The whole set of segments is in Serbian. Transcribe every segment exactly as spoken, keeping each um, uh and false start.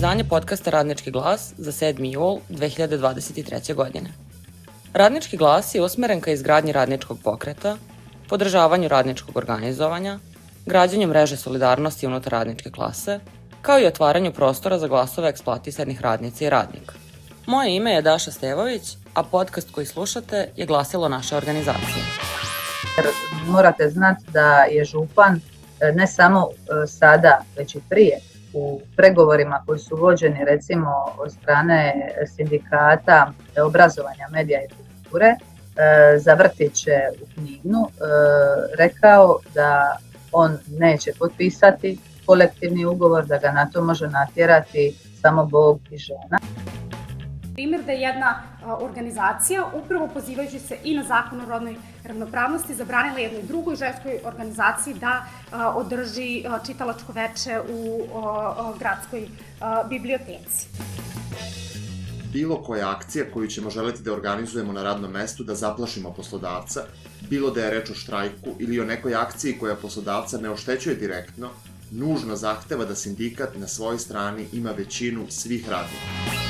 izdanje podcasta Radnički glas za sedmi jul dve hiljade dvadeset treće. godine. Radnički glas je usmeren ka izgradnji radničkog pokreta, podržavanju radničkog organizovanja, građenju mreže solidarnosti unutar radničke klase, kao i otvaranju prostora za glasove eksploatisanih radnica i radnika. Moje ime je Daša Stevović, a podcast koji slušate je glasilo naše organizacije. Morate znati da je župan ne samo sada, već i prije u pregovorima koji su vođeni recimo od strane sindikata obrazovanja, medija i kulture za vrtiće u Kninu rekao da on neće potpisati kolektivni ugovor, da ga na to može natjerati samo Bog i žena. Primjer da je jedna organizacija, upravo pozivajući se i na zakon o rodnoj ravnopravnosti, zabranila jednoj drugoj ženskoj organizaciji da održi čitalačko veče u gradskoj biblioteci. Bilo koja akcija koju ćemo želeti da organizujemo na radnom mestu da zaplašimo poslodavca, bilo da je reč o štrajku ili o nekoj akciji koja poslodavca ne oštećuje direktno, nužno zahteva da sindikat na svojoj strani ima većinu svih radnika.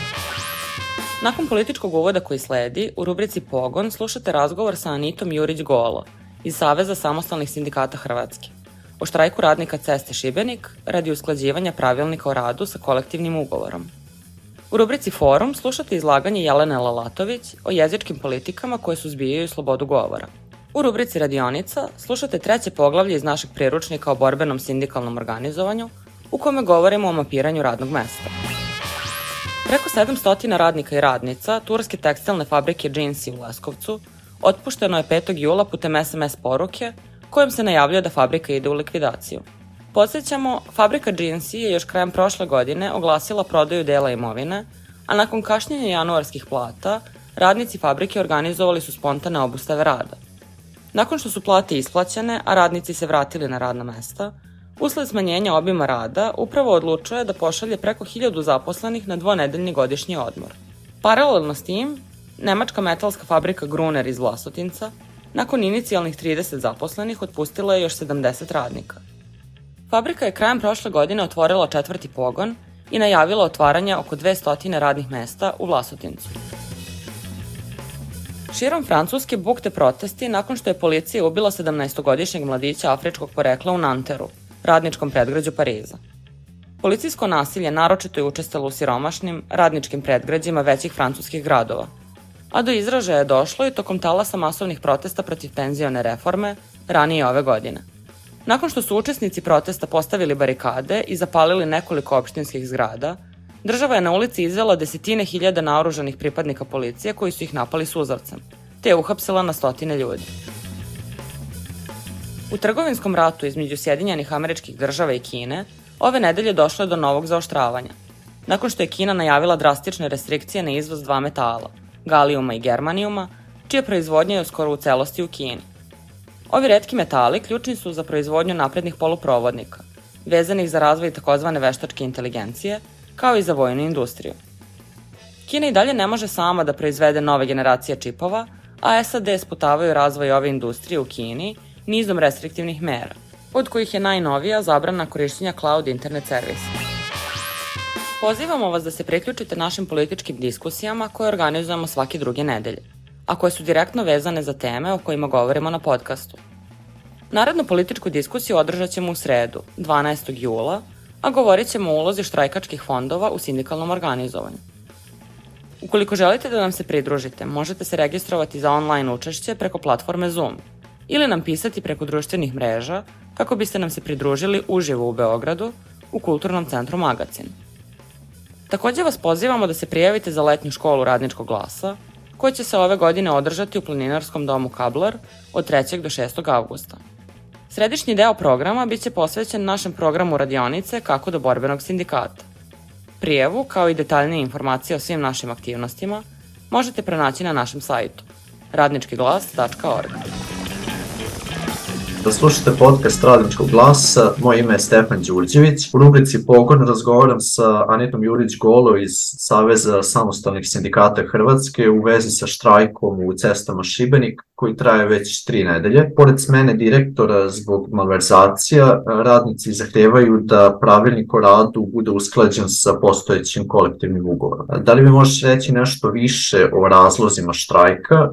Nakon političkog uvoda koji sledi, u rubrici Pogon slušate razgovor sa Anitom Jurić-Golo iz Saveza samostalnih sindikata Hrvatske o štrajku radnika Ceste Šibenik radi usklađivanja pravilnika o radu sa kolektivnim ugovorom. U rubrici Forum slušate izlaganje Jelene Lalatović o jezičkim politikama koje suzbijaju slobodu govora. U rubrici Radionica slušate treće poglavlje iz našeg priručnika o borbenom sindikalnom organizovanju, u kome govorimo o mapiranju radnog mesta. Preko sedamsto radnika i radnica turske tekstilne fabrike Džinsi u Leskovcu otpušteno je petog jula putem es em es poruke kojom se najavljuje da fabrika ide u likvidaciju. Podsjećamo, fabrika Džinsi je još krajem prošle godine oglasila prodaju dela imovine, a nakon kašnjenja januarskih plata, radnici fabrike organizovali su spontane obustave rada. Nakon što su plate isplaćene, a radnici se vratili na radna mesta, usled smanjenja obima rada, upravo odlučuje da pošalje preko hiljadu zaposlenih na dvonedeljni godišnji odmor. Paralelno s tim, nemačka metalska fabrika Gruner iz Vlasotinca, nakon inicijalnih trideset zaposlenih, otpustila je još sedamdeset radnika. Fabrika je krajem prošle godine otvorila četvrti pogon i najavila otvaranje oko dvesta radnih mesta u Vlasotincu. Širom Francuske bukte protesti nakon što je policija ubila sedamnaestogodišnjeg mladića afričkog porekla u Nanteru, radničkom predgrađu Pariza. Policijsko nasilje naročito je učestalo u siromašnim, radničkim predgrađima većih francuskih gradova, a do izražaja je došlo i tokom talasa masovnih protesta protiv penzione reforme ranije ove godine. Nakon što su učesnici protesta postavili barikade i zapalili nekoliko opštinskih zgrada, država je na ulici izvela desetine hiljada naoružanih pripadnika policije koji su ih napali suzavcem, te je uhapsila na stotine ljudi. U trgovinskom ratu između Sjedinjenih Američkih Država i Kine ove nedelje došlo je do novog zaoštravanja, nakon što je Kina najavila drastične restrikcije na izvoz dva metala, galijuma i germanijuma, čija proizvodnja je skoro u celosti u Kini. Ovi retki metali ključni su za proizvodnju naprednih poluprovodnika, vezanih za razvoj takozvane veštačke inteligencije, kao i za vojnu industriju. Kina i dalje ne može sama da proizvede nove generacije čipova, a es a de sputavaju razvoj ove industrije u Kini nizom restriktivnih mera, od kojih je najnovija zabrana korišćenja cloud internet servisa. Pozivamo vas da se priključite našim političkim diskusijama koje organizujemo svake druge nedelje, a koje su direktno vezane za teme o kojima govorimo na podcastu. Narednu političku diskusiju održat ćemo u sredu, dvanaestog jula, a govorit ćemo o ulozi štrajkačkih fondova u sindikalnom organizovanju. Ukoliko želite da nam se pridružite, možete se registrovati za online učešće preko platforme Zoom ili nam pisati preko društvenih mreža kako biste nam se pridružili uživo u Beogradu u Kulturnom centru Magacin. Takođe vas pozivamo da se prijavite za letnju školu Radničkog glasa, koja će se ove godine održati u Planinarskom domu Kablar od trećeg do šestog avgusta. Središnji deo programa biće posvećen našem programu radionice Kako do borbenog sindikata. Prijavu, kao i detaljnije informacije o svim našim aktivnostima, možete pronaći na našem sajtu radnički glas tačka org. Da slušate podcast Radničkog glasa, moje ime je Stefan Đurđević. U rubrici Pogon razgovaram sa Anitom Jurić-Golo iz Saveza samostalnih sindikata Hrvatske u vezi sa štrajkom u Cestama Šibenik, koji traje već tri nedelje. Pored smene direktora zbog malverzacija, radnici zahtevaju da pravilnik o radu bude usklađen sa postojećim kolektivnim ugovorom. Da li mi možeš reći nešto više o razlozima štrajka,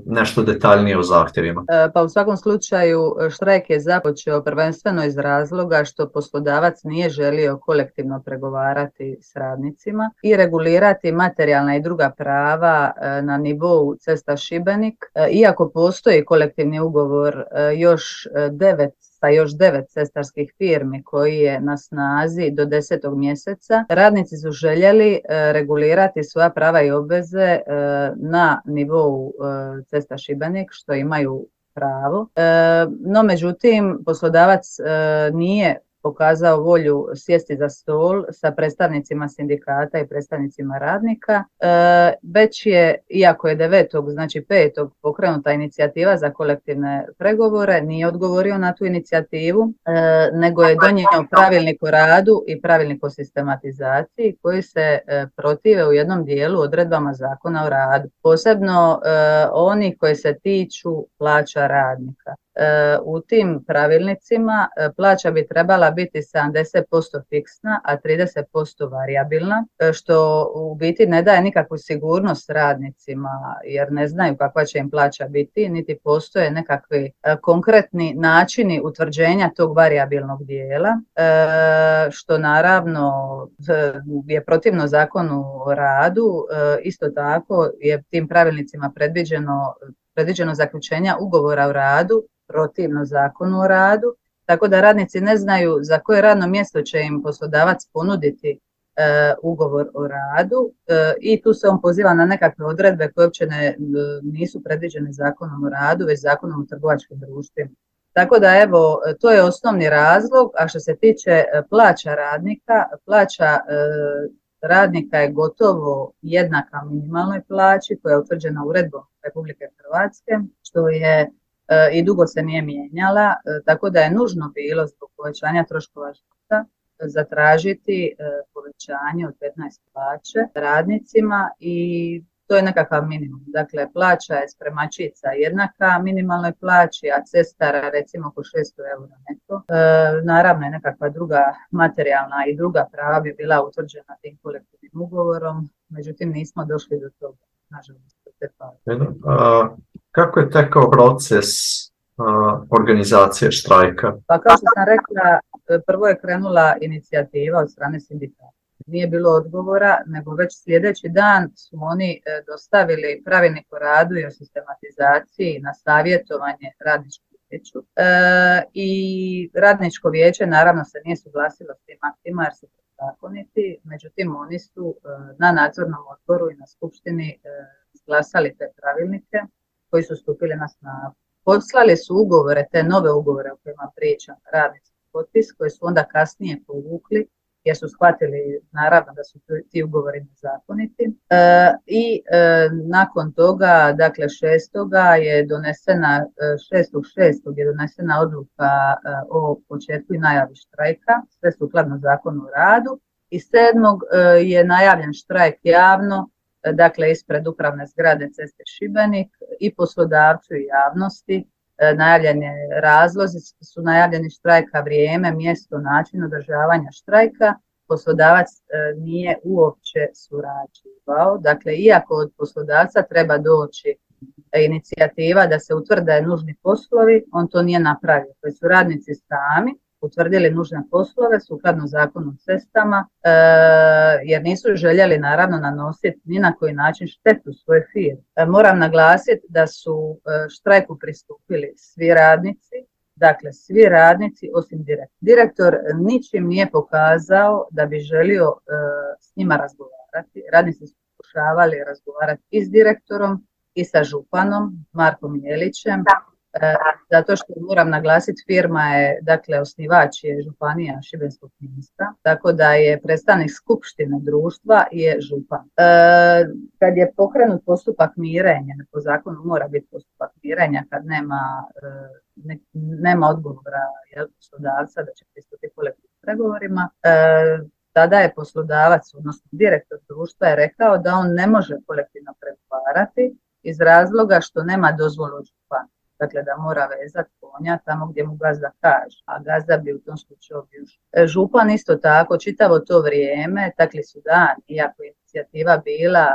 nešto detaljnije o zahtjevima? Pa u svakom slučaju štrajk je započeo prvenstveno iz razloga što poslodavac nije želio kolektivno pregovarati s radnicima i regulirati materijalna i druga prava na nivou Cesta Šibenik. Iako postoji kolektivni ugovor još devet sa još devet cestarskih firmi koji je na snazi do desetog mjeseca, radnici su željeli regulirati svoja prava i obveze na nivou Cesta Šibenik, što imaju pravo. No, međutim, poslodavac nije pokazao volju sjesti za stol sa predstavnicima sindikata i predstavnicima radnika, već je, iako je devetog, znači petog pokrenuta inicijativa za kolektivne pregovore, nije odgovorio na tu inicijativu, nego je donio pravilnik o radu i pravilnik o sistematizaciji koji se protive u jednom dijelu odredbama Zakona o radu, posebno oni koji se tiču plaća radnika. U tim pravilnicima plaća bi trebala biti sedamdeset posto fiksna, a trideset posto varijabilna, što u biti ne daje nikakvu sigurnost radnicima jer ne znaju kakva će im plaća biti, niti postoje nekakvi konkretni načini utvrđenja tog varijabilnog dijela, što naravno je protivno Zakonu o radu. Isto tako je tim pravilnicima predviđeno, predviđeno zaključenja ugovora o radu protivno Zakonu o radu, tako da radnici ne znaju za koje radno mjesto će im poslodavac ponuditi e, ugovor o radu e, i tu se on poziva na nekakve odredbe koje uopće ne, nisu predviđene Zakonom o radu, već Zakonom o trgovačkim društvima. Tako da evo, to je osnovni razlog, a što se tiče plaća radnika, plaća e, radnika je gotovo jednaka minimalnoj plaći koja je utvrđena uredbom Republike Hrvatske, što je i dugo se nije mijenjala, tako da je nužno bilo zbog povećanja troškova života zatražiti povećanje od petnaest plaće radnicima i to je nekakav minimum. Dakle, plaća je spremačica jednaka minimalnoj plaći, a cestara recimo oko šesto eura neto. E, naravno je nekakva druga materijalna i druga prava bi bila utvrđena tim kolektivnim ugovorom, međutim nismo došli do toga, nažalost. Kako je tekao proces uh, organizacije štrajka? Pa kao što sam rekla, prvo je krenula inicijativa od strane sindikata. Nije bilo odgovora, nego već sljedeći dan su oni dostavili pravilnik o radu i o sistematizaciji na savjetovanje radničkom vijeću. E, I radničko vijeće naravno se nije suglasilo s tim aktima jer su protuzakoniti, međutim oni su na nadzornom odboru i na skupštini izglasali te pravilnike koji su stupili na snagu. Poslali su ugovore, te nove ugovore o kojima pričam, radnici potpis, koji su onda kasnije povukli jer su shvatili naravno da su ti ugovori nezakoniti. E, I e, nakon toga, dakle šestoga je donesena, šestog šestog je donesena odluka e, o početku i najavi štrajka, sve sukladno Zakonu o radu, i sedmog e, je najavljen štrajk javno, dakle ispred upravne zgrade Ceste Šibenik, i poslodavcu i javnosti. E, najavljene razlozi su najavljeni štrajka, vrijeme, mjesto, način održavanja štrajka. Poslodavac e, nije uopće surađivao. Dakle, iako od poslodavca treba doći inicijativa da se utvrde nužni poslovi, on to nije napravio. To su radnici sami utvrdili nužne poslove sukladno Zakonu o cestama, e, jer nisu željeli naravno nanositi ni na koji način štetu svoje firme. E, moram naglasiti da su e, štrajku pristupili svi radnici, dakle svi radnici osim direktora. Direktor ničim nije pokazao da bi želio e, s njima razgovarati. Radnici su pokušavali razgovarati i s direktorom i sa županom Markom Jelićem. E, zato što moram naglasiti, firma je, dakle osnivač je županija Šibensko-kninska, tako da je predstavnik skupštine društva je župan. E, kad je pokrenut postupak mirenja, po zakonu mora biti postupak mirenja kad nema, e, ne, nema odgovora jel, poslodavca da će pristupiti kolektivnim pregovorima, e, tada je poslodavac, odnosno direktor društva je rekao da on ne može kolektivno pregovarati iz razloga što nema dozvolu od župana. Dakle, da mora vezati konja tamo gdje mu gazda kaže, a gazda bi u tom slučaju bio župan. Isto tako, čitavo to vrijeme, takli su dani, iako je inicijativa bila,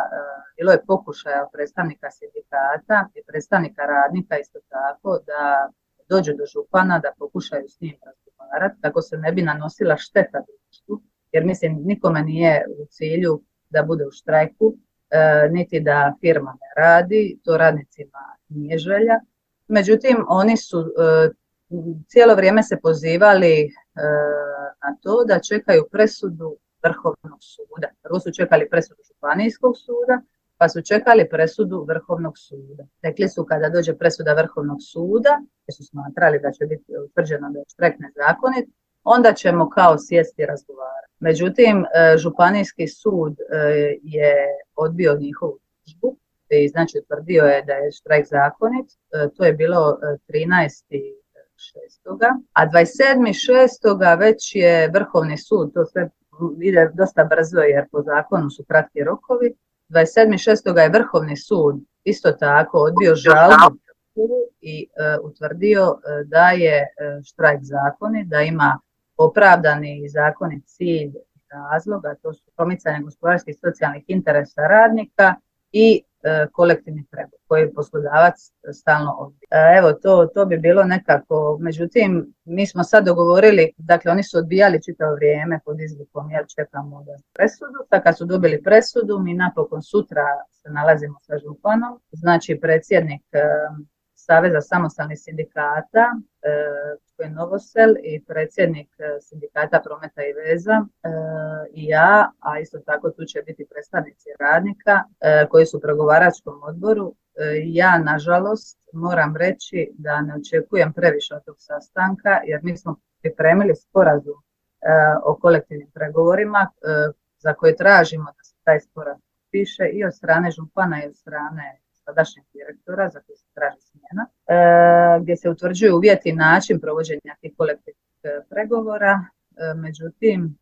bilo je pokušaja predstavnika sindikata i predstavnika radnika isto tako da dođu do župana, da pokušaju s njim razgovarati, kako se ne bi nanosila šteta društvu, jer mislim nikome nije u cilju da bude u štrajku, e, niti da firma ne radi, to radnicima nije želja. Međutim, oni su e, cijelo vrijeme se pozivali e, na to da čekaju presudu Vrhovnog suda. Prvo su čekali presudu Županijskog suda, pa su čekali presudu Vrhovnog suda. Rekli su kada dođe presuda Vrhovnog suda, jer su smatrali da će biti utvrđeno da je štrajk nezakonit, onda ćemo kao sjesti i razgovarati. Međutim, Županijski sud je odbio njihovu tužbu i znači utvrdio je da je štrajk zakonit. To je bilo trinaestog šestoga a dvadeset sedmog šestoga već je Vrhovni sud, to sve ide dosta brzo jer po zakonu su kratki rokovi, dvadeset sedmog šestoga je Vrhovni sud isto tako odbio žalbu i uh, utvrdio uh, da je uh, štrajk zakonit, da ima opravdani i zakonit cilj i razlog, a to su promicanje gospodarskih i socijalnih interesa radnika i uh, kolektivni pregovor koji poslodavac stalno odbija. Uh, evo, to, to bi bilo nekako, međutim, mi smo sad dogovorili, dakle oni su odbijali čitavo vrijeme pod izlikom, ja čekamo da presudu, tako kad su dobili presudu, mi napokon sutra se nalazimo sa županom, znači predsjednik uh, Saveza samostalnih sindikata, koji je Novosel, i predsjednik sindikata Prometa i veza i ja, a isto tako tu će biti predstavnici radnika koji su u pregovaračkom odboru. Ja, nažalost, moram reći da ne očekujem previše od tog sastanka, jer mi smo pripremili sporazum o kolektivnim pregovorima za koje tražimo da se taj sporazum piše i od strane župana i od strane sadašnjeg direktora za koji se traži smjena, e, gdje se utvrđuju uvjeti i način provođenja tih kolektivnih e, pregovora. E, međutim,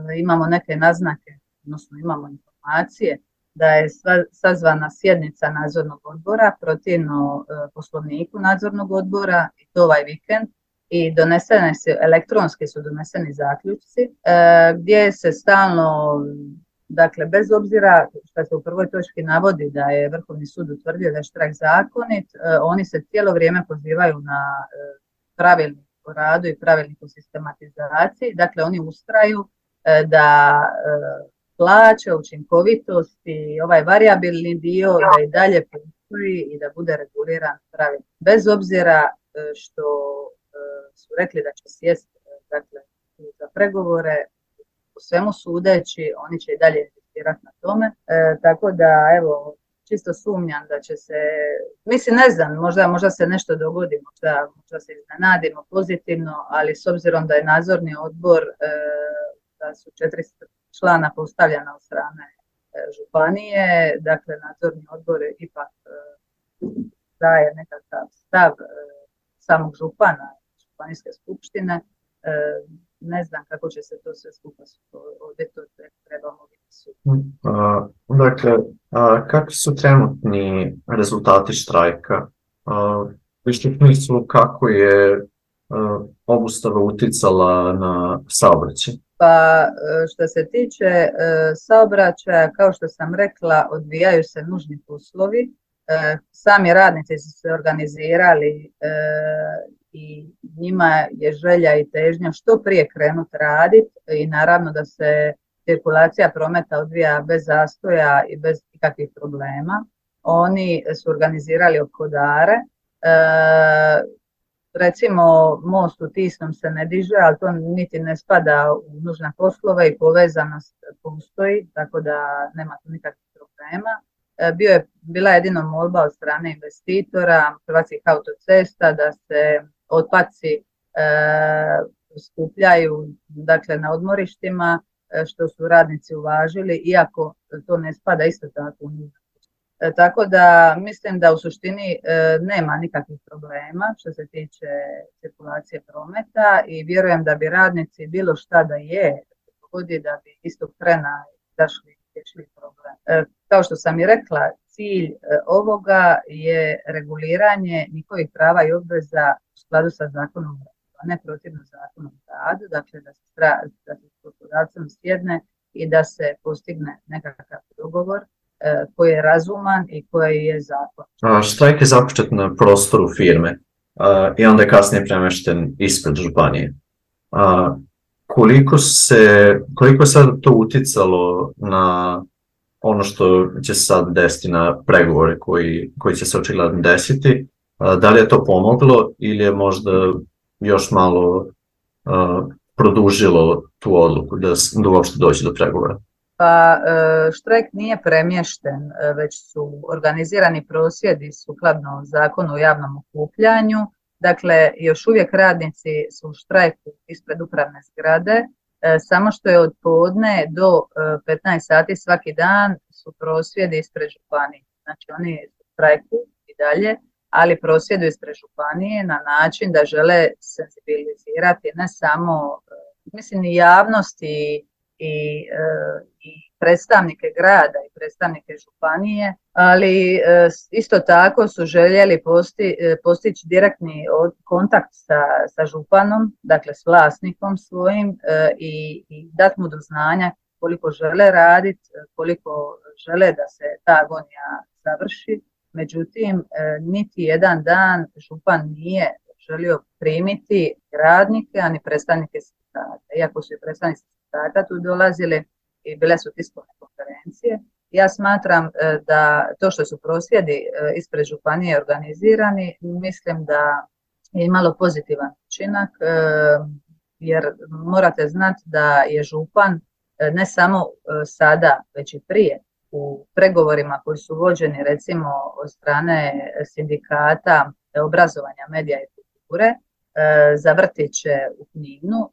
e, imamo neke naznake, odnosno imamo informacije da je sva, sazvana sjednica nadzornog odbora protivno e, poslovniku nadzornog odbora i to ovaj vikend i donesene su, elektronski su doneseni zaključci e, gdje se stalno, dakle, bez obzira što se u prvoj točki navodi da je Vrhovni sud utvrdio da je štrajk zakonit, oni se cijelo vrijeme pozivaju na pravilnik o radu i pravilnik o sistematizaciji. Dakle, oni ustraju da plaće, učinkovitost i ovaj varijabilni dio da i dalje postoji i da bude reguliran pravilnik. Bez obzira što su rekli da će sjesti, dakle, za pregovore, u svemu sudeći, oni će i dalje insistirati na tome. E, tako da, evo, čisto sumnjam da će se, mislim, ne znam, možda, možda se nešto dogodi, možda, možda se iznenadimo pozitivno, ali s obzirom da je nadzorni odbor, e, da su četiri člana postavljena od strane e, županije, dakle, nadzorni odbor ipak e, daje nekakav stav e, samog župana, županijske skupštine. E, ne znam kako će se to sve skupa ovdje to trebamo vidjeti. Uh, dakle, uh, kakvi su trenutni rezultati štrajka? Uh, Više u smislu kako je uh, obustava uticala na saobraćaj? Pa što se tiče uh, saobraćaja, kao što sam rekla, odvijaju se nužni poslovi. Uh, sami radnici su se organizirali uh, i njima je želja i težnja što prije krenuti raditi i naravno da se cirkulacija prometa odvija bez zastoja i bez ikakvih problema. Oni su organizirali ophodare. E, recimo most u Tisnom se ne diže, ali to niti ne spada u nužne poslove i povezanost postoji, tako da nema tu nikakvih problema. E, bio je, bila je jedino molba od strane investitora Hrvatskih autocesta da se otpaci e, skupljaju, dakle, na odmorištima, e, što su radnici uvažili, iako to ne spada isto tako u njih. E, tako da mislim da u suštini e, nema nikakvih problema što se tiče cirkulacije prometa i vjerujem da bi radnici bilo šta da je, dogodi da bi istog trena zašli riješili problem. E, kao što sam i rekla, cilj ovoga je reguliranje njihovih prava i obveza u skladu sa zakonom o radu, a ne protivno zakonom o radu, dakle da se, da se s poslodavcem sjedne i da se postigne nekakav dogovor koji je razuman i koji je zakon. Štrajk je započet na prostoru firme i onda je kasnije premešten ispred županije. Koliko se, koliko je sad to uticalo na ono što će se sad desiti na pregovore koji, koji će se očigledno desiti? Da li je to pomoglo ili je možda još malo uh, produžilo tu odluku da, da uopšte dođe do pregovora? Pa štrajk nije premješten, već su organizirani prosvjedi sukladno zakonu o javnom okupljanju. Dakle, još uvijek radnici su u štrajku ispred upravne zgrade, samo što je od podne do petnaest sati svaki dan su prosvjedi ispred županije. Znači oni su u štrajku i dalje, ali prosvjeduju ispred županije na način da žele senzibilizirati ne samo, mislim, i javnosti i, i predstavnike grada i predstavnike županije, ali isto tako su željeli posti, postići direktni kontakt sa, sa županom, dakle s vlasnikom svojim i, i dati mu do znanja koliko žele raditi, koliko žele da se ta agonija završi. Međutim, niti jedan dan župan nije želio primiti radnike, ani predstavnike sindikata. Iako su i predstavnici sindikata tu dolazili i bile su tiskovne konferencije, ja smatram da to što su prosvjedi ispred županije organizirani, mislim da je imalo pozitivan učinak, jer morate znati da je župan ne samo sada, već i prije, u pregovorima koji su vođeni recimo od strane sindikata obrazovanja, medija i kulture za vrtiće u Kninu,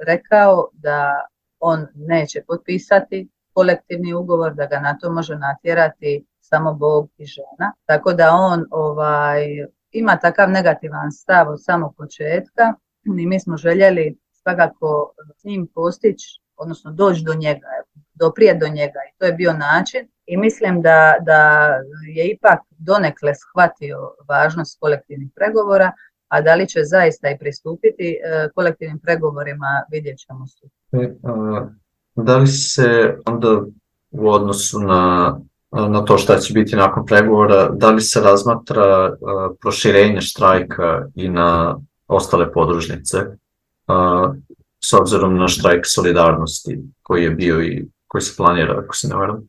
rekao da on neće potpisati kolektivni ugovor, da ga na to može natjerati samo Bog i žena. Tako da on ovaj, ima takav negativan stav od samog početka i mi smo željeli svakako s njim postići, odnosno doći do njega, doprije do njega i to je bio način i mislim da, da je ipak donekle shvatio važnost kolektivnih pregovora, a da li će zaista i pristupiti e, kolektivnim pregovorima, vidjet ćemo su. E, a, da li se onda u odnosu na, na to šta će biti nakon pregovora, da li se razmatra a, proširenje štrajka i na ostale podružnice, a, s obzirom na štrajk solidarnosti koji je bio i koji se planira, ako se ne varam?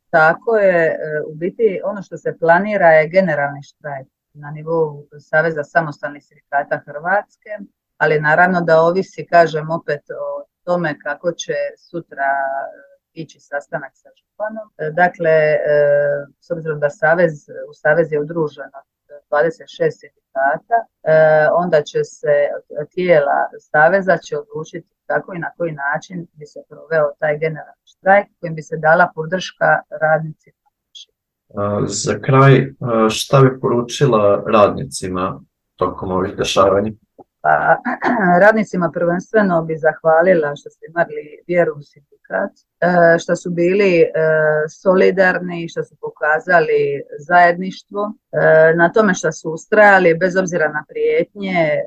Tako je, u biti ono što se planira je generalni štrajk na nivou Saveza samostalnih sindikata Hrvatske, ali naravno da ovisi, kažem opet, o tome kako će sutra ići sastanak sa županom. Dakle, s obzirom da Savez, u Savez je udruženo dvadeset šest sindikata, onda će se tijela Saveza će odlučiti kako i na koji način bi se proveo taj generalni štrajk kojim bi se dala podrška radnicima. Za kraj, šta bi poručila radnicima tokom ovih dešavanja? Pa, radnicima prvenstveno bi zahvalila što ste imali vjeru u sindikat, što su bili solidarni, što su pokazali zajedništvo, na tome što su ustrajali bez obzira na prijetnje,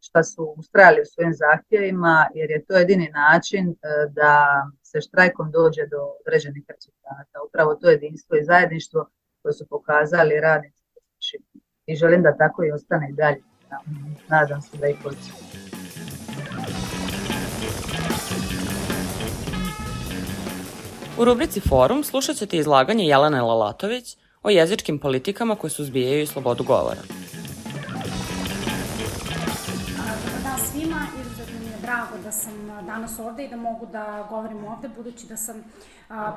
što su ustrajali u svojim zahtjevima, jer je to jedini način da se štrajkom dođe do određenih rezultata. Upravo to jedinstvo i zajedništvo koje su pokazali radnici. I želim da tako i ostane i dalje. Nadam se da i hoće. U rubrici Forum slušat ćete izlaganje Jelene Lalatović o jezičkim politikama koje suzbijaju slobodu govora. Dobar dan svima, izuzetno mi je drago da sam danas ovde i da mogu da govorim ovde, budući da sam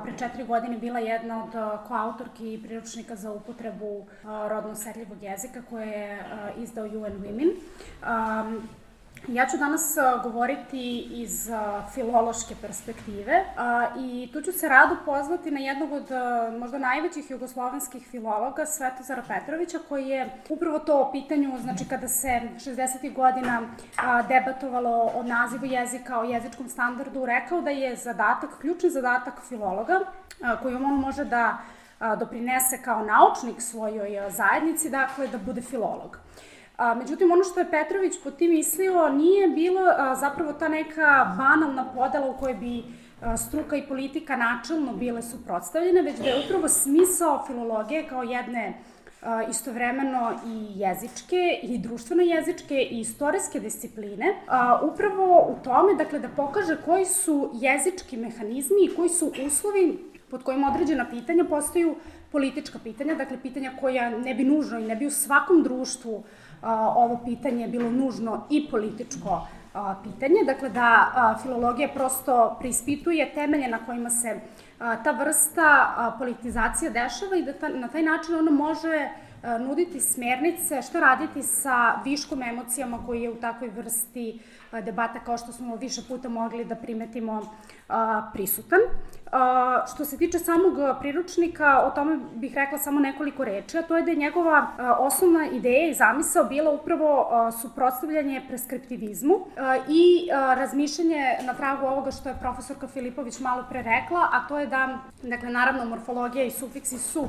pre četiri godine bila jedna od koautorki priručnika za upotrebu rodno osetljivog jezika koje je izdao U N Women. Ja ću danas govoriti iz filološke perspektive i tu ću se rado pozvati na jednog od možda najvećih jugoslovenskih filologa, Svetozara Petrovića, koji je upravo to o pitanju, znači kada se šezdesetih godina debatovalo o nazivu jezika, o jezičkom standardu, rekao da je zadatak, ključni zadatak filologa, kojom on može da doprinese kao naučnik svojoj zajednici, dakle da bude filolog. Međutim, ono što je Petrović pod tim mislio nije bilo zapravo ta neka banalna podela u kojoj bi struka i politika načelno bile suprotstavljene, već da je upravo smisao filologije kao jedne istovremeno i jezičke, i društveno-jezičke, i istorijske discipline, upravo u tome, dakle, da pokaže koji su jezički mehanizmi i koji su uslovi pod kojim određena pitanja postaju politička pitanja, dakle, pitanja koja ne bi nužno i ne bi u svakom društvu ovo pitanje bilo nužno i političko pitanje, dakle, da filologija prosto preispituje temelje na kojima se ta vrsta politizacije dešava i da na taj način ona može nuditi smernice šta raditi sa viškom emocijama koji je u takvoj vrsti debata, kao što smo više puta mogli da primetimo, prisutan. Što se tiče samog priručnika, o tome bih rekla samo nekoliko reči, a to je da je njegova osnovna ideja i zamisao bila upravo suprotstavljanje preskriptivizmu i razmišljanje na tragu ovoga što je profesorka Filipović malo pre rekla, a to je da, dakle, naravno, morfologija i sufiksi su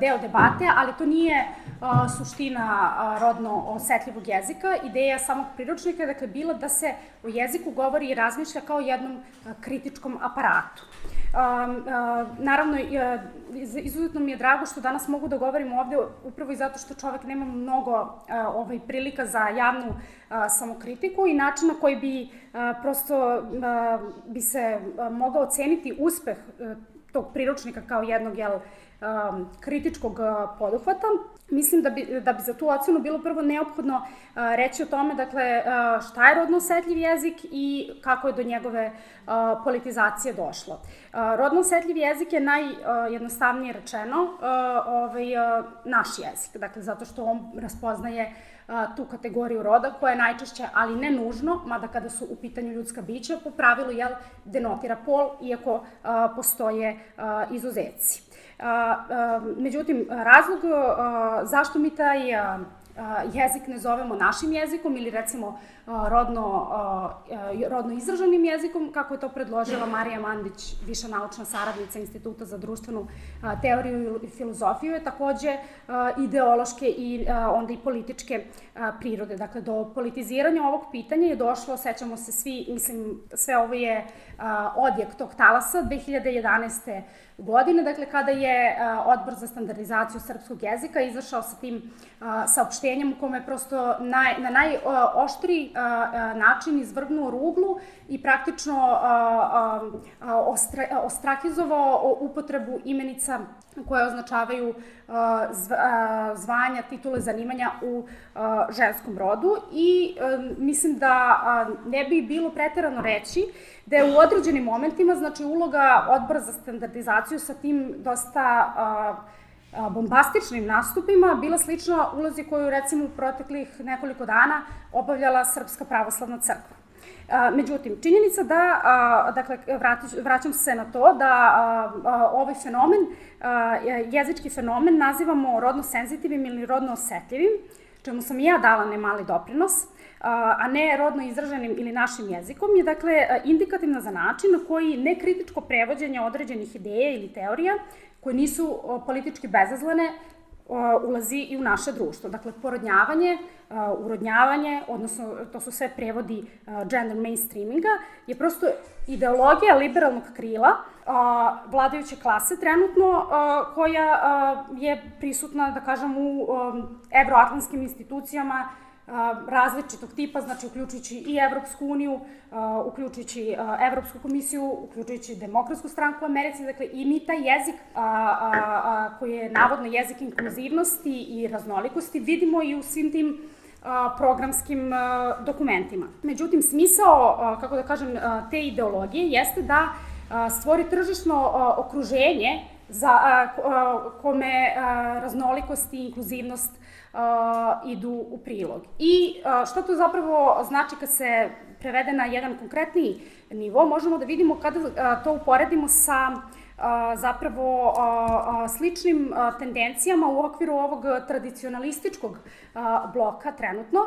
deo debate, ali to nije suština rodno osetljivog jezika. Ideja samog priručnika je, dakle, bila da se o jeziku govori i razmišlja kao jednom kritičkom aparatu. Naravno, izuzetno mi je drago što danas mogu da govorim ovde, upravo i zato što čovek nema mnogo prilika za javnu samokritiku i način na koji bi prosto bi se mogao oceniti uspeh tog priručnika kao jednog, jel, kritičkog poduhvata. Mislim da bi, da bi za tu ocenu bilo prvo neophodno reći o tome, dakle, šta je rodno osetljiv jezik i kako je do njegove politizacije došlo. Rodno osetljiv jezik je najjednostavnije rečeno ovaj, naš jezik, dakle, zato što on raspoznaje tu kategoriju roda koja je najčešće, ali ne nužno, mada kada su u pitanju ljudska bića, po pravilu, jel, denotira pol, iako postoje izuzeci. Međutim, razlog zašto mi taj jezik ne zovemo našim jezikom ili recimo rodno, rodno izraženim jezikom, kako je to predložila Marija Mandić, viša naučna saradnica Instituta za društvenu teoriju i filozofiju, je takođe ideološke i onda i političke prirode. Dakle, do politiziranja ovog pitanja je došlo, sećamo se svi, mislim, sve ovo je odjek tog talasa dve hiljade jedanaeste godine, dakle, kada je Odbor za standardizaciju srpskog jezika izašao sa tim saopštenjem u kome je prosto naj, na najoštriji način izvrgnuo ruglu i praktično ostrakizovao upotrebu imenica koje označavaju zvanja, titule, zanimanja u ženskom rodu i mislim da ne bi bilo preterano reći da je u određenim momentima, znači, uloga Odbora za standardizaciju sa tim dosta bombastičnim nastupima bila slična ulozi koju, recimo, u proteklih nekoliko dana obavljala Srpska pravoslavna crkva. Međutim, činjenica da, dakle, vraćam se na to, da ovaj fenomen, jezički fenomen, nazivamo rodno senzitivnim ili rodno osetljivim, čemu sam i ja dala nemali doprinos, a ne rodno izraženim ili našim jezikom, je, dakle, indikativna za način na koji nekritičko prevođenje određenih ideja ili teorija koje nisu politički bezazlene ulazi i u naše društvo. Dakle, porodnjavanje, urodnjavanje, odnosno to su sve prevodi gender mainstreaminga, je prosto ideologija liberalnog krila vladajuće klase trenutno, koja je prisutna, da kažem, u evroatlantskim institucijama različitog tipa, znači uključujući i Evropsku uniju, uključujući Evropsku komisiju, uključujući Demokratsku stranku u Americi, dakle, i mi taj jezik koji je navodno jezik inkluzivnosti i raznolikosti vidimo i u svim tim programskim dokumentima. Međutim, smisao, kako da kažem, te ideologije jeste da stvori tržišno okruženje za kome raznolikost i inkluzivnost idu u prilog. I što to zapravo znači kad se prevede na jedan konkretniji nivo, možemo da vidimo kada to uporedimo sa zapravo sličnim tendencijama u okviru ovog tradicionalističkog bloka trenutno,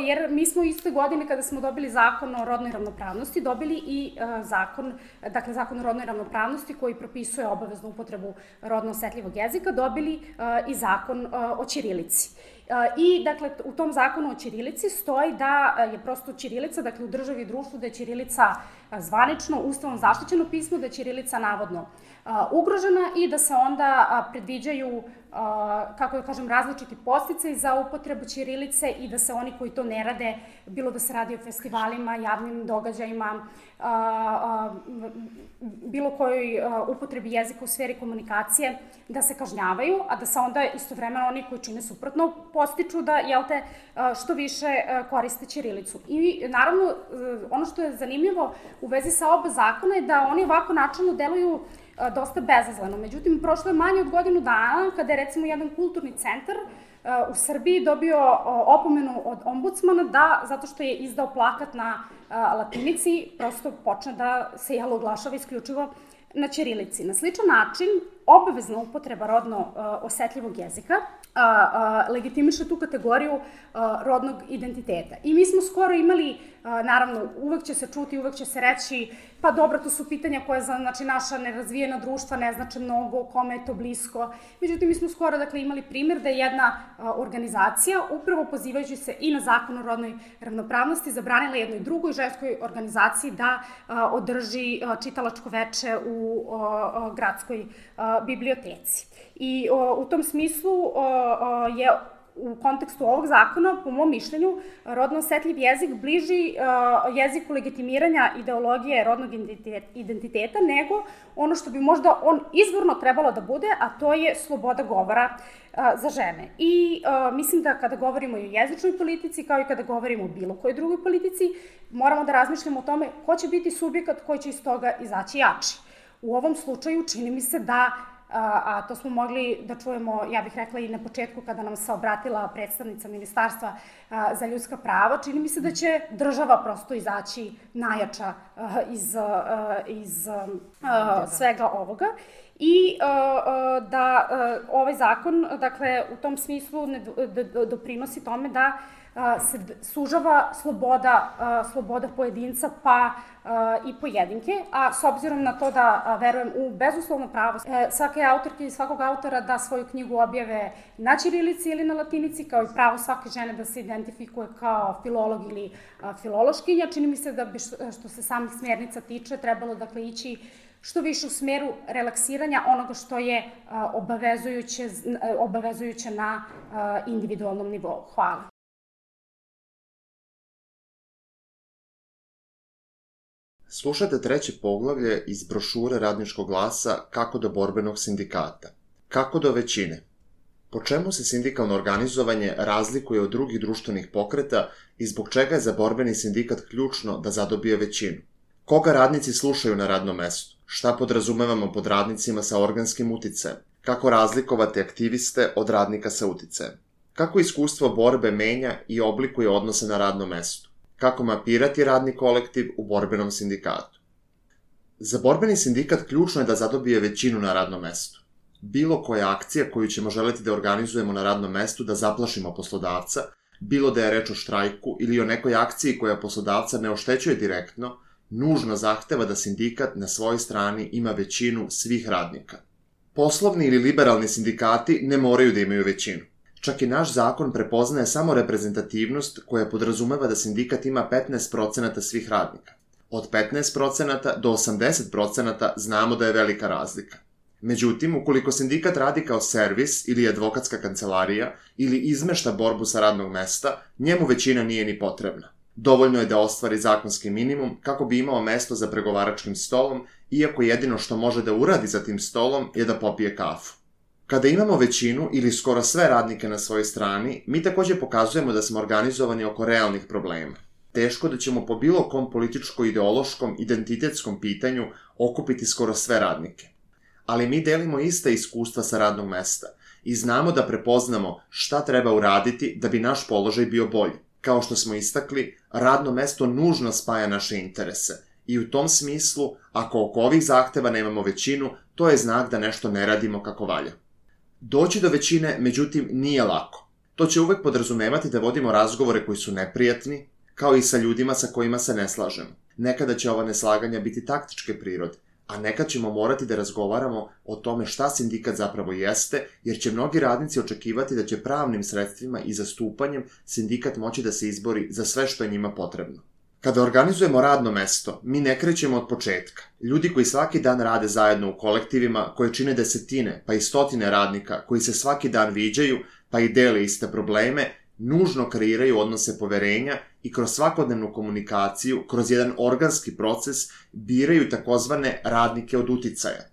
jer mi smo iste godine kada smo dobili zakon o rodnoj ravnopravnosti, dobili i zakon, dakle zakon o rodnoj ravnopravnosti koji propisuje obaveznu upotrebu rodno osetljivog jezika, dobili i zakon o ćirilici. I, dakle, u tom zakonu o ćirilici stoji da je prosto ćirilica, dakle, u državi i društvu, da je ćirilica zvanično, ustavom zaštićeno pismo, da je ćirilica navodno ugrožena i da se onda predviđaju, kako da kažem, različiti podsticaji za upotrebu ćirilice i da se oni koji to ne rade, bilo da se radi o festivalima, javnim događajima, bilo kojoj upotrebi jezika u sferi komunikacije, da se kažnjavaju, a da se onda istovremeno oni koji čine suprotno postiču da, jel te, što više koriste ćirilicu. I naravno, ono što je zanimljivo u vezi sa oba zakona je da oni ovako načalno deluju dosta bezazleno. Međutim, prošlo je manje od godinu dana kada je recimo jedan kulturni centar u Srbiji dobio opomenu od ombudsmana da, zato što je izdao plakat na latinici, prosto počne da se jel oglašava isključivo na ćirilici. Na sličan način, obavezna upotreba rodno osetljivog jezika legitimiše tu kategoriju rodnog identiteta. I mi smo skoro imali, naravno, uvek će se čuti, uvek će se reći, pa dobro, to su pitanja koje za, znači, naša nerazvijena društva ne znače mnogo, kome je to blisko. Međutim, mi smo skoro, dakle, imali primjer da je jedna organizacija, upravo pozivajući se i na zakon o rodnoj ravnopravnosti, zabranila jednoj drugoj ženskoj organizaciji da održi čitalačko veče u gradskoj biblioteci. I u tom smislu je u kontekstu ovog zakona, po mom mišljenju, rodno osetljiv jezik bliži jeziku legitimiranja ideologije rodnog identiteta, nego ono što bi možda on izvorno trebalo da bude, a to je sloboda govora za žene. I mislim da kada govorimo i o jezičnoj politici, kao i kada govorimo o bilo kojoj drugoj politici, moramo da razmišljamo o tome ko će biti subjekat koji će iz toga izaći jači. U ovom slučaju čini mi se da, a to smo mogli da čujemo, ja bih rekla i na početku kada nam se obratila predstavnica Ministarstva za ljudska prava, čini mi se da će država prosto izaći najjača iz, iz svega ovoga i da ovaj zakon, dakle, u tom smislu doprinosi tome da se sužava sloboda, sloboda pojedinca pa i pojedinke, a s obzirom na to da verujem u bezuslovno pravo svake autorke i svakog autora da svoju knjigu objave na ćirilici ili na latinici, kao i pravo svake žene da se identifikuje kao filolog ili filološkinja, čini mi se da bi, što se samih smjernica tiče, trebalo, dakle, ići što više u smeru relaksiranja onoga što je obavezujuće, obavezujuće na individualnom nivou. Hvala. Slušate treće poglavlje iz brošure Radničkog glasa Kako do borbenog sindikata. Kako do većine? Po čemu se sindikalno organizovanje razlikuje od drugih društvenih pokreta i zbog čega je za borbeni sindikat ključno da zadobije većinu? Koga radnici slušaju na radnom mestu? Šta podrazumevamo pod radnicima sa organskim uticajem? Kako razlikovati aktiviste od radnika sa uticajem? Kako iskustvo borbe menja i oblikuje odnose na radnom mestu? Kako mapirati radni kolektiv u borbenom sindikatu? Za borbeni sindikat ključno je da zadobije većinu na radnom mestu. Bilo koja akcija koju ćemo želeti da organizujemo na radnom mestu da zaplašimo poslodavca, bilo da je reč o štrajku ili o nekoj akciji koja poslodavca ne oštećuje direktno, nužno zahteva da sindikat na svojoj strani ima većinu svih radnika. Poslovni ili liberalni sindikati ne moraju da imaju većinu. Čak i naš zakon prepoznaje samo reprezentativnost koja podrazumeva da sindikat ima petnaest procenata svih radnika. Od petnaest procenata do osamdeset procenata znamo da je velika razlika. Međutim, ukoliko sindikat radi kao servis ili advokatska kancelarija ili izmešta borbu sa radnog mesta, njemu većina nije ni potrebna. Dovoljno je da ostvari zakonski minimum kako bi imao mesto za pregovaračkim stolom, iako jedino što može da uradi za tim stolom je da popije kafu. Kada imamo većinu ili skoro sve radnike na svojoj strani, mi takođe pokazujemo da smo organizovani oko realnih problema. Teško da ćemo po bilo kom političko-ideološkom, identitetskom pitanju okupiti skoro sve radnike. Ali mi delimo ista iskustva sa radnog mesta i znamo da prepoznamo šta treba uraditi da bi naš položaj bio bolji. Kao što smo istakli, radno mesto nužno spaja naše interese I u tom smislu, ako oko ovih zahteva nemamo većinu, to je znak da nešto ne radimo kako valja. Doći do većine, međutim, nije lako. To će uvek podrazumevati da vodimo razgovore koji su neprijatni, kao i sa ljudima sa kojima se ne slažemo. Nekada će ova neslaganja biti taktičke prirode, a nekad ćemo morati da razgovaramo o tome šta sindikat zapravo jeste, jer će mnogi radnici očekivati da će pravnim sredstvima i zastupanjem sindikat moći da se izbori za sve što je njima potrebno. Kada organizujemo radno mesto, mi ne krećemo od početka. Ljudi koji svaki dan rade zajedno u kolektivima, koje čine desetine pa i stotine radnika, koji se svaki dan viđaju pa i dele iste probleme, nužno kreiraju odnose poverenja i kroz svakodnevnu komunikaciju, kroz jedan organski proces, biraju takozvane radnike od uticaja.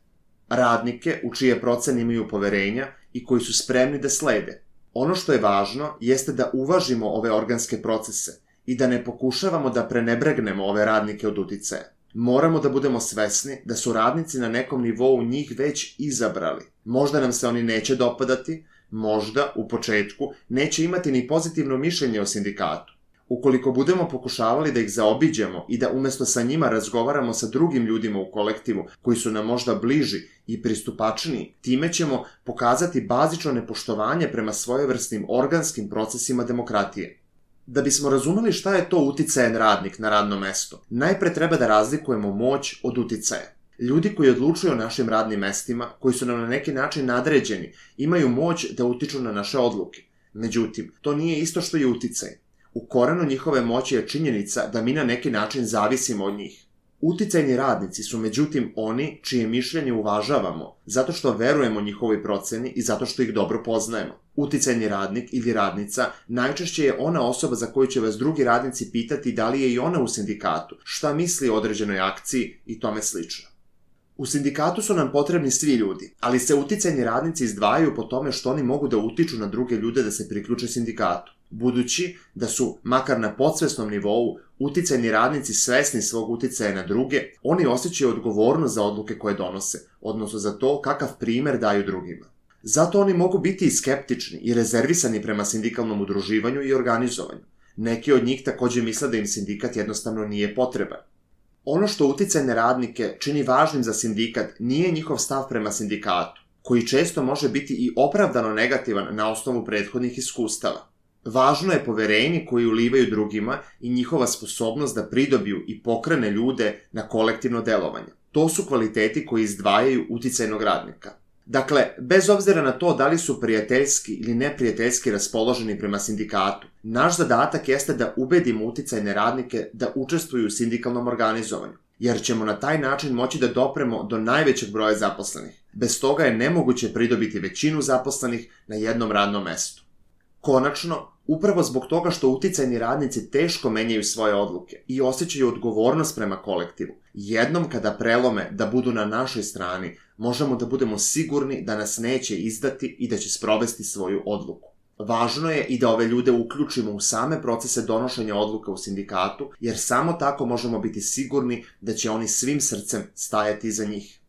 Radnike u čije procene imaju poverenja i koji su spremni da slede. Ono što je važno jeste da uvažimo ove organske procese i da ne pokušavamo da prenebregnemo ove radnike od uticaja. Moramo da budemo svesni da su radnici na nekom nivou njih već izabrali. Možda nam se oni neće dopadati, možda, u početku, neće imati ni pozitivno mišljenje o sindikatu. Ukoliko budemo pokušavali da ih zaobiđemo i da umesto sa njima razgovaramo sa drugim ljudima u kolektivu koji su nam možda bliži i pristupačniji, time ćemo pokazati bazično nepoštovanje prema svojevrsnim organskim procesima demokratije. Da bismo razumeli šta je to uticajan radnik na radnom mestu, najpre treba da razlikujemo moć od uticaja. Ljudi koji odlučuju o našim radnim mestima, koji su nam na neki način nadređeni, imaju moć da utiču na naše odluke. Međutim, to nije isto što je uticaj. U korenu njihove moći je činjenica da mi na neki način zavisimo od njih. Uticajni radnici su međutim oni čije mišljenje uvažavamo, zato što verujemo njihovoj proceni i zato što ih dobro poznajemo. Uticajni radnik ili radnica najčešće je ona osoba za koju će vas drugi radnici pitati da li je i ona u sindikatu, šta misli o određenoj akciji i tome slično. U sindikatu su nam potrebni svi ljudi, ali se uticajni radnici izdvajaju po tome što oni mogu da utiču na druge ljude da se priključe sindikatu. Budući da su, makar na podsvesnom nivou, uticajni radnici svesni svog uticaja na druge, oni osjećaju odgovornost za odluke koje donose, odnosno za to kakav primer daju drugima. Zato oni mogu biti i skeptični i rezervisani prema sindikalnom udruživanju i organizovanju. Neki od njih takođe misle da im sindikat jednostavno nije potreban. Ono što uticajne radnike čini važnim za sindikat nije njihov stav prema sindikatu, koji često može biti i opravdano negativan na osnovu prethodnih iskustava. Važno je poverenje koje ulivaju drugima i njihova sposobnost da pridobiju i pokrene ljude na kolektivno delovanje. To su kvaliteti koji izdvajaju uticajnog radnika. Dakle, bez obzira na to da li su prijateljski ili neprijateljski raspoloženi prema sindikatu, naš zadatak jeste da ubedimo uticajne radnike da učestvuju u sindikalnom organizovanju, jer ćemo na taj način moći da dopremo do najvećeg broja zaposlenih. Bez toga je nemoguće pridobiti većinu zaposlenih na jednom radnom mestu. Konačno, upravo zbog toga što uticajni radnici teško menjaju svoje odluke i osjećaju odgovornost prema kolektivu, jednom kada prelome da budu na našoj strani, možemo da budemo sigurni da nas neće izdati i da će sprovesti svoju odluku. Važno je i da ove ljude uključimo u same procese donošenja odluka u sindikatu, jer samo tako možemo biti sigurni da će oni svim srcem stajati iza njih.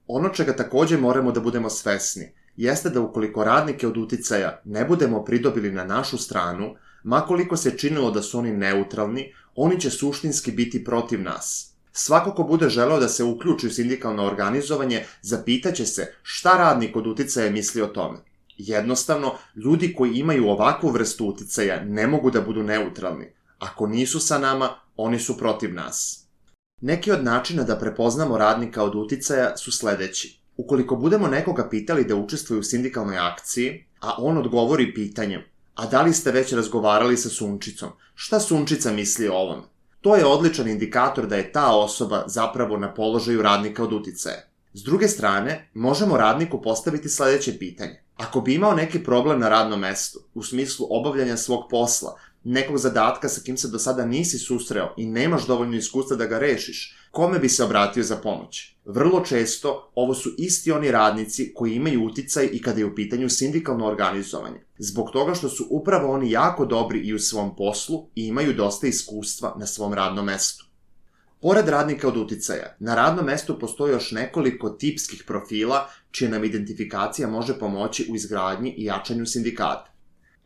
Ono čega takođe moramo da budemo svesni jeste da ukoliko radnike od uticaja ne budemo pridobili na našu stranu, makoliko se činilo da su oni neutralni, oni će suštinski biti protiv nas. Svako ko bude želeo da se uključi u sindikalno organizovanje, zapitaće se šta radnik od uticaja misli o tome. Jednostavno, ljudi koji imaju ovakvu vrstu uticaja ne mogu da budu neutralni. Ako nisu sa nama, oni su protiv nas. Neki od načina da prepoznamo radnika od uticaja su sledeći. Ukoliko budemo nekoga pitali da učestvuje u sindikalnoj akciji, a on odgovori pitanjem, a da li ste već razgovarali sa Sunčicom, šta Sunčica misli o ovome? To je odličan indikator da je ta osoba zapravo na položaju radnika od uticaja. S druge strane, možemo radniku postaviti sledeće pitanje. Ako bi imao neki problem na radnom mestu, u smislu obavljanja svog posla, nekog zadatka sa kim se do sada nisi susreo i nemaš dovoljno iskustva da ga rešiš, kome bi se obratio za pomoć? Vrlo često ovo su isti oni radnici koji imaju uticaj i kada je u pitanju sindikalno organizovanje, zbog toga što su upravo oni jako dobri i u svom poslu i imaju dosta iskustva na svom radnom mestu. Pored radnika od uticaja, na radnom mestu postoji još nekoliko tipskih profila čija nam identifikacija može pomoći u izgradnji i jačanju sindikata.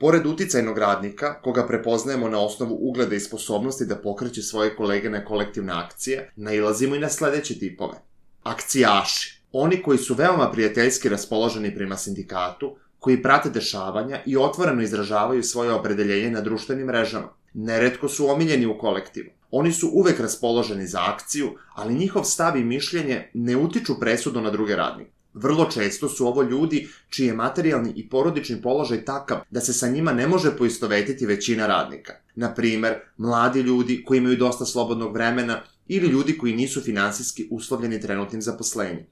Pored uticajnog radnika, koga prepoznajemo na osnovu ugleda i sposobnosti da pokreće svoje kolege na kolektivne akcije, nailazimo i na sledeće tipove. Akcijaši. Oni koji su veoma prijateljski raspoloženi prema sindikatu, koji prate dešavanja i otvoreno izražavaju svoje opredeljenje na društvenim mrežama. Neretko su omiljeni u kolektivu. Oni su uvek raspoloženi za akciju, ali njihov stav i mišljenje ne utiču presudu na druge radnike. Vrlo često su ovo ljudi čiji je materijalni i porodični položaj takav da se sa njima ne može poistovetiti većina radnika. Na primer, mladi ljudi koji imaju dosta slobodnog vremena ili ljudi koji nisu finansijski uslovljeni trenutnim zaposlenjem.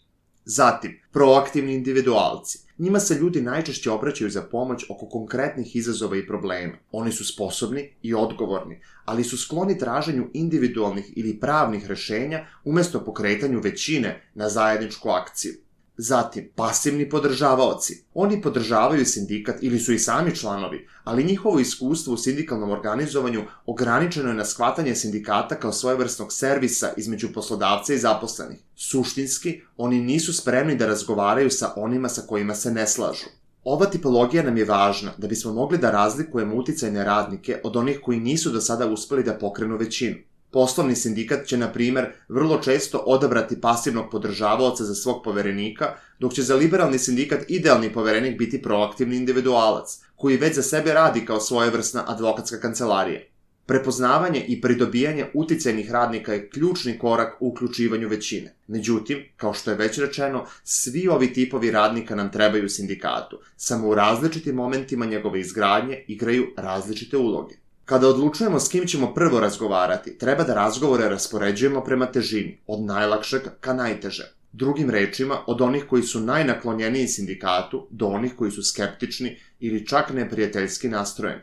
Zatim, proaktivni individualci. Njima se ljudi najčešće obraćaju za pomoć oko konkretnih izazova i problema. Oni su sposobni i odgovorni, ali su skloni traženju individualnih ili pravnih rešenja umesto pokretanju većine na zajedničku akciju. Zatim, pasivni podržavaoci. Oni podržavaju sindikat ili su i sami članovi, ali njihovo iskustvo u sindikalnom organizovanju ograničeno je na shvatanje sindikata kao svojevrsnog servisa između poslodavca i zaposlenih. Suštinski, oni nisu spremni da razgovaraju sa onima sa kojima se ne slažu. Ova tipologija nam je važna da bismo mogli da razlikujemo uticajne radnike od onih koji nisu do sada uspeli da pokrenu većinu. Poslovni sindikat će, na primer, vrlo često odabrati pasivnog podržavaoca za svog poverenika, dok će za liberalni sindikat idealni poverenik biti proaktivni individualac, koji već za sebe radi kao svojevrsna advokatska kancelarija. Prepoznavanje i pridobijanje uticajnih radnika je ključni korak u uključivanju većine. Međutim, kao što je već rečeno, svi ovi tipovi radnika nam trebaju u sindikatu, samo u različitim momentima njegove izgradnje igraju različite uloge. Kada odlučujemo s kim ćemo prvo razgovarati, treba da razgovore raspoređujemo prema težini, od najlakšeg ka najteže. Drugim rečima, od onih koji su najnaklonjeniji sindikatu do onih koji su skeptični ili čak neprijateljski nastrojeni.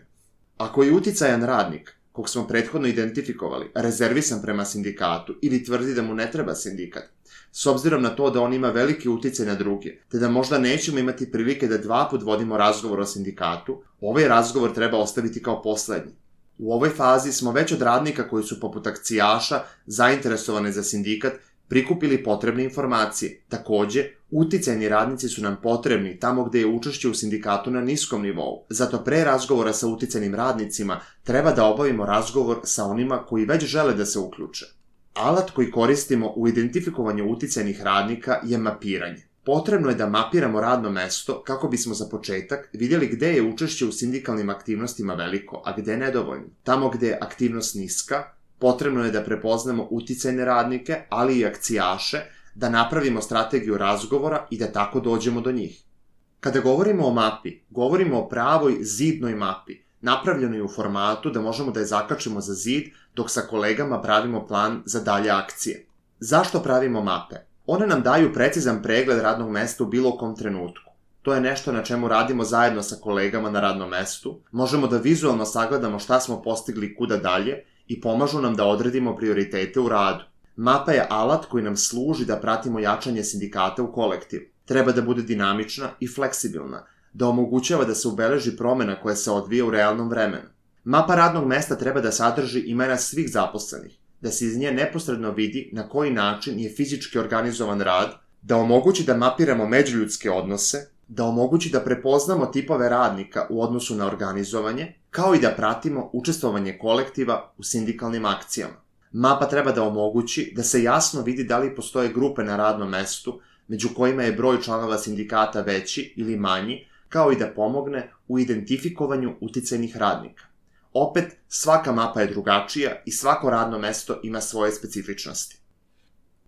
Ako je uticajan radnik, kog smo prethodno identifikovali, rezervisan prema sindikatu ili tvrdi da mu ne treba sindikat, s obzirom na to da on ima veliki uticaj na druge, te da možda nećemo imati prilike da dva put vodimo razgovor o sindikatu, ovaj razgovor treba ostaviti kao poslednji. U ovoj fazi smo već od radnika koji su poput akcijaša zainteresovane za sindikat prikupili potrebne informacije. Takođe, uticajni radnici su nam potrebni tamo gde je učešće u sindikatu na niskom nivou. Zato pre razgovora sa uticajnim radnicima treba da obavimo razgovor sa onima koji već žele da se uključe. Alat koji koristimo u identifikovanju uticajnih radnika je mapiranje. Potrebno je da mapiramo radno mesto kako bismo za početak vidjeli gde je učešće u sindikalnim aktivnostima veliko, a gde nedovoljno. Tamo gde je aktivnost niska, potrebno je da prepoznamo uticajne radnike, ali i akcijaše, da napravimo strategiju razgovora i da tako dođemo do njih. Kada govorimo o mapi, govorimo o pravoj zidnoj mapi, napravljenoj u formatu da možemo da je zakačimo za zid dok sa kolegama pravimo plan za dalje akcije. Zašto pravimo mape? One nam daju precizan pregled radnog mesta u bilo kom trenutku. To je nešto na čemu radimo zajedno sa kolegama na radnom mestu, možemo da vizualno sagledamo šta smo postigli kuda dalje i pomažu nam da odredimo prioritete u radu. Mapa je alat koji nam služi da pratimo jačanje sindikata u kolektivu. Treba da bude dinamična i fleksibilna, da omogućava da se ubeleži promena koja se odvija u realnom vremenu. Mapa radnog mesta treba da sadrži imena svih zaposlenih, da se iz nje neposredno vidi na koji način je fizički organizovan rad, da omogući da mapiramo međuljudske odnose, da omogući da prepoznamo tipove radnika u odnosu na organizovanje, kao i da pratimo učestvovanje kolektiva u sindikalnim akcijama. Mapa treba da omogući da se jasno vidi da li postoje grupe na radnom mestu, među kojima je broj članova sindikata veći ili manji, kao i da pomogne u identifikovanju uticajnih radnika. Opet, svaka mapa je drugačija i svako radno mesto ima svoje specifičnosti.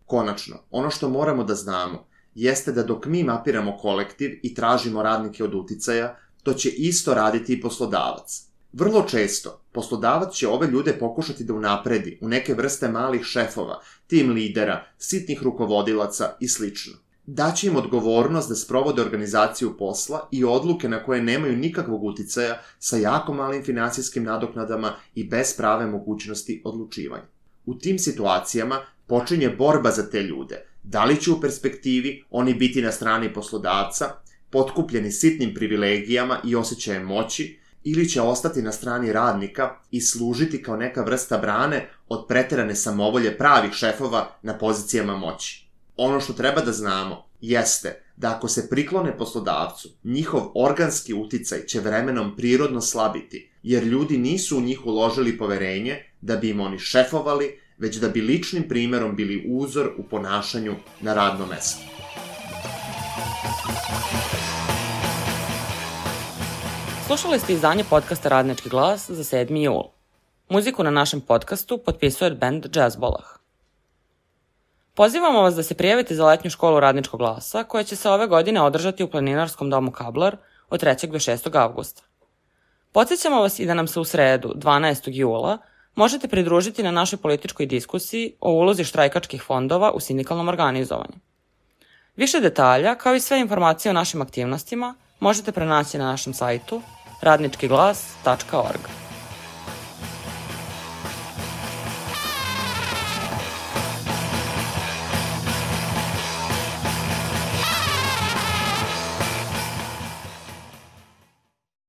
Konačno, ono što moramo da znamo jeste da dok mi mapiramo kolektiv i tražimo radnike od uticaja, to će isto raditi i poslodavac. Vrlo često, poslodavac će ove ljude pokušati da unapredi u neke vrste malih šefova, tim lidera, sitnih rukovodilaca i slično. Daće im odgovornost da sprovode organizaciju posla i odluke na koje nemaju nikakvog uticaja sa jako malim finansijskim nadoknadama i bez prave mogućnosti odlučivanja. U tim situacijama počinje borba za te ljude. Da li će u perspektivi oni biti na strani poslodavca, potkupljeni sitnim privilegijama i osjećajem moći, ili će ostati na strani radnika i služiti kao neka vrsta brane od preterane samovolje pravih šefova na pozicijama moći. Ono što treba da znamo jeste da ako se priklone poslodavcu, njihov organski uticaj će vremenom prirodno slabiti, jer ljudi nisu u njih uložili poverenje da bi im oni šefovali, već da bi ličnim primerom bili uzor u ponašanju na radnom mestu. Slušali ste izdanje podcasta Radnički glas za sedmi jul. Muziku na našem podcastu potpisuje band Jazzbolah. Pozivamo vas da se prijavite za letnju školu Radničkog glasa, koja će se ove godine održati u Planinarskom domu Kablar od trećeg do šestog avgusta. Podsjećamo vas i da nam se u sredu, dvanaestog jula, možete pridružiti na našoj političkoj diskusiji o ulozi štrajkačkih fondova u sindikalnom organizovanju. Više detalja, kao i sve informacije o našim aktivnostima, možete pronaći na našem sajtu radnički glas tačka org.